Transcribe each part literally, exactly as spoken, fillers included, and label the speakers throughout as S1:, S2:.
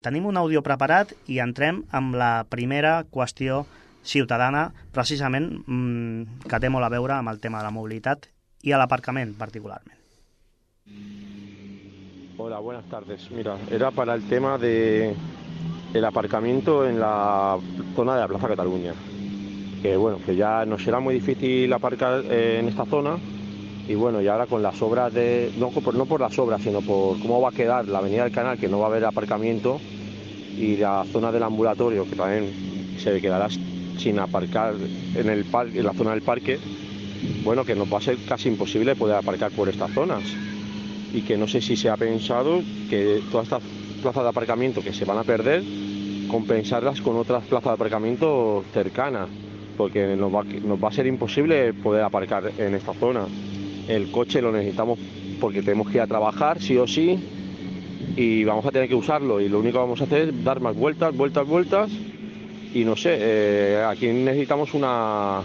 S1: Tenim un àudio preparat i entrem amb la primera qüestió ciutadana, precisament mmm, que té molt a veure amb el tema de la mobilitat y al aparcamiento particularmente.
S2: Hola, buenas tardes. Mira, era para el tema de el aparcamiento en la zona de la Plaza Cataluña. Que bueno, que ya nos será muy difícil aparcar eh, en esta zona. Y bueno, y ahora con las obras de... No por, no por las obras, sino por cómo va a quedar la avenida del Canal, que no va a haber aparcamiento, y la zona del ambulatorio, que también se quedará sin aparcar en, el par, en la zona del parque. Bueno, que nos va a ser casi imposible poder aparcar por estas zonas. Y que no sé si se ha pensado que todas estas plazas de aparcamiento que se van a perder, compensarlas con otras plazas de aparcamiento cercanas, porque nos va, nos va a ser imposible poder aparcar en esta zona. El coche lo necesitamos porque tenemos que ir a trabajar, sí o sí, y vamos a tener que usarlo. Y lo único que vamos a hacer es dar más vueltas, vueltas, vueltas. Y no sé, eh, aquí necesitamos una,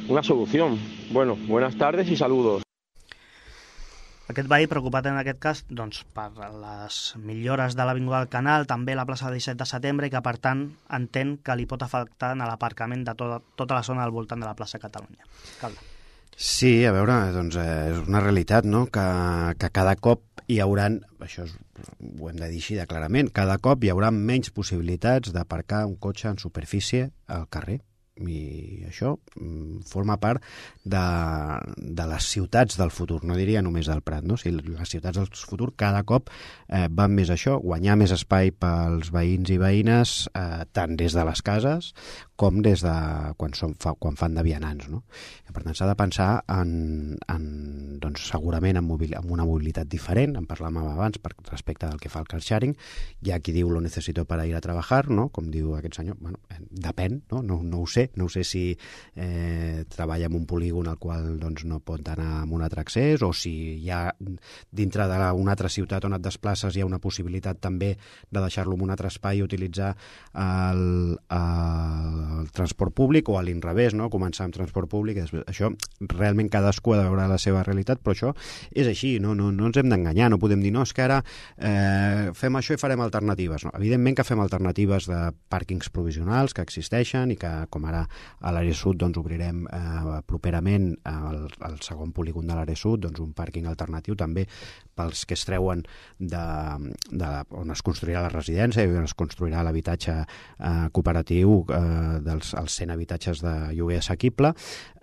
S2: una solución. Bueno, buenas tardes y saludos.
S1: Aquest veí preocupat en aquest cas doncs, per les millores de l'Avinguda del Canal, també la plaça disset de setembre, i que per tant entén que li pot afectar a l'aparcament de tota, tota la zona al voltant de la plaça Catalunya. Calda.
S3: Sí, a veure, doncs eh, és una realitat, no?, que, que cada cop hi hauran, això és, ho hem de dir així de clarament, cada cop hi haurà menys possibilitats d'aparcar un cotxe en superfície al carrer. I això mm, forma part de, de les ciutats del futur, no diria només del Prat, no? O sigui, les ciutats del futur cada cop eh, van més a això, guanyar més espai pels veïns i veïnes, eh, tant des de les cases com des de quan, som, fa, quan fan de vianants, no? I per tant s'ha de pensar en, en doncs, segurament en, mobil, en una mobilitat diferent, en parlàvem abans per respecte del que fa el car sharing. Hi ha qui diu lo necesito para ir a trabajar, no? Com diu aquest senyor, bueno, eh, depèn, no? No, no ho sé, no sé si eh, treballa en un polígon al qual doncs, no pot anar amb un altre accés, o si hi ha dintre d'una altra ciutat on et desplaces hi ha una possibilitat també de deixar-lo en un altre espai i utilitzar el, el, el transport públic, o a l'inrevés, no? Començar amb transport públic. Això realment cadascú ha de veure la seva realitat, però això és així, no, no, no ens hem d'enganyar, no podem dir no, és que ara eh, fem això i farem alternatives. No, evidentment que fem alternatives de pàrquings provisionals que existeixen i que, com ara a l'àrea sud, doncs obrirem eh, properament el, el segon polígon de l'àrea sud, doncs un pàrquing alternatiu també pels que es treuen de, de on es construirà la residència i on es construirà l'habitatge eh, cooperatiu eh, dels els cent habitatges de lloguer assequible,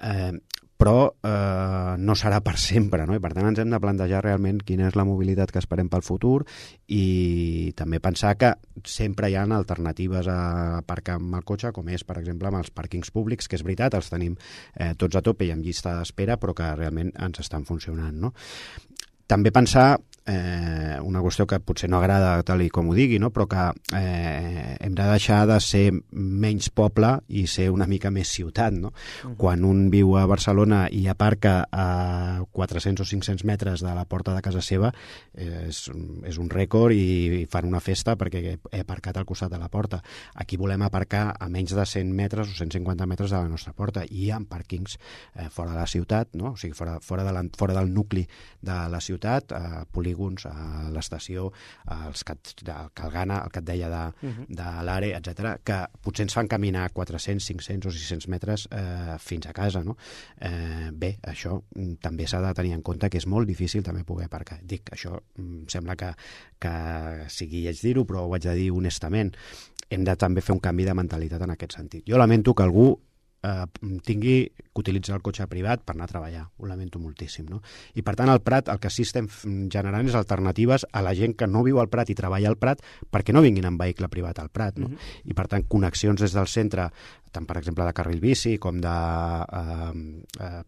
S3: eh, però eh, no serà per sempre, no? I per tant ens hem de plantejar realment quina és la mobilitat que esperem pel futur i també pensar que sempre hi ha alternatives a aparcar amb el cotxe, com és, per exemple, amb els pàrquings públics, que és veritat, els tenim eh, tots a tope i amb llista d'espera, però que realment ens estan funcionant, no? També pensar eh, una qüestió que potser no agrada tal i com ho digui, no? Però que eh, hem de deixar de ser menys poble i ser una mica més ciutat, no? Uh-huh. Quan un viu a Barcelona i aparca a quatre-cents o cinc-cents metres de la porta de casa seva, eh, és, és un rècord i, i fan una festa perquè he aparcat al costat de la porta. Aquí volem aparcar a menys de cent metres o cent cinquanta metres de la nostra porta, i hi ha pàrquings eh, fora de la ciutat, no? O sigui, fora, fora, de la, fora del nucli de la ciutat, a polígons, a l'estació, als Cat, al Calgana, el que et deia de, uh-huh. de l'Are, etcètera, que potser ens fan caminar quatre-cents, cinc-cents o sis-cents metres eh, fins a casa, no? Eh, bé, això també s'ha de tenir en compte que és molt difícil també poder aparcar. Dic, això em sembla que, que sigui lleig dir-ho, però ho haig de dir honestament. Hem de també fer un canvi de mentalitat en aquest sentit. Jo lamento que algú eh, tingui que utilitzar el cotxe privat per anar a treballar. Ho lamento moltíssim, no? I per tant al Prat el que sí estem generant és alternatives a la gent que no viu al Prat i treballa al Prat perquè no vinguin en vehicle privat al Prat, no? Uh-huh. I per tant connexions des del centre, tant per exemple de carril bici com de eh, eh,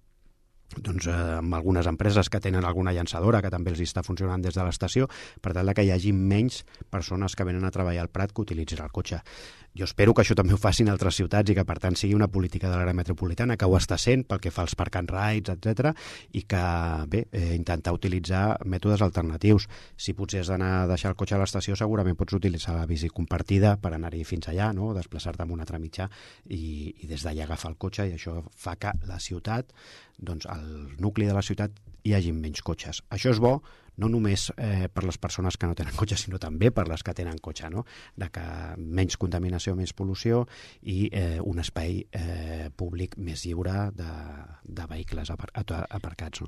S3: doncs, eh, amb algunes empreses que tenen alguna llançadora que també els està funcionant des de l'estació, per tal que hi hagi menys persones que venen a treballar al Prat que utilitzin el cotxe. Jo espero que això també ho facin altres ciutats i que, per tant, sigui una política de l'àrea metropolitana, que ho està sent pel que fa als park and rides, etcètera, i que, bé, eh, intentar utilitzar mètodes alternatius. Si potser has d'anar a deixar el cotxe a l'estació, segurament pots utilitzar la bici compartida per anar-hi fins allà, no? Desplaçar-te amb un altre mitjà i, i des d'allà agafar el cotxe, i això fa que la ciutat, doncs el nucli de la ciutat hi hagi menys cotxes. Això és bo no només eh, per les persones que no tenen cotxe, sinó també per les que tenen cotxe, no? De que menys contaminació, menys pol·lució i eh, un espai eh, públic més lliure de, de vehicles apar aparcats. No?